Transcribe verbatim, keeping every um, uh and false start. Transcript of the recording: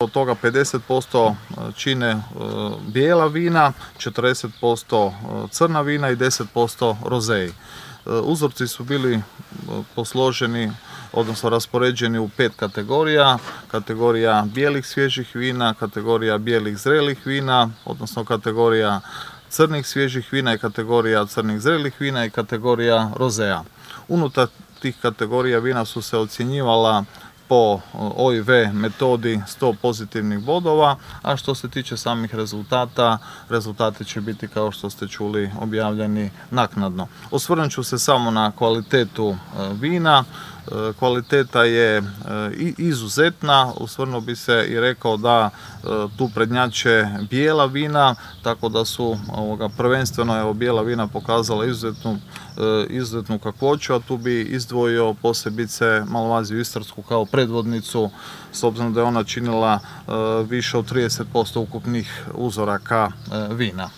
Od toga pedeset posto čine bijela vina, četrdeset posto crna vina i deset posto rozeji. Uzorci su bili posloženi, odnosno raspoređeni u pet kategorija. Kategorija bijelih svježih vina, kategorija bijelih zrelih vina, odnosno kategorija crnih svježih vina i kategorija crnih zrelih vina i kategorija rozeja. Unutar tih kategorija vina su se ocjenjivala po O I V metodi sto pozitivnih bodova, a što se tiče samih rezultata, rezultati će biti, kao što ste čuli, objavljeni naknadno. Osvrnut ću se samo na kvalitetu vina. Kvaliteta je izuzetna, osvrnuo bi se i rekao da tu prednjače bijela vina, tako da su ovoga, prvenstveno evo, bijela vina pokazala izuzetnu, izuzetnu kakvoću, a tu bi izdvojio posebice Malvaziju istarsku kao predvodnicu, s obzirom da je ona činila više od trideset posto ukupnih uzoraka vina.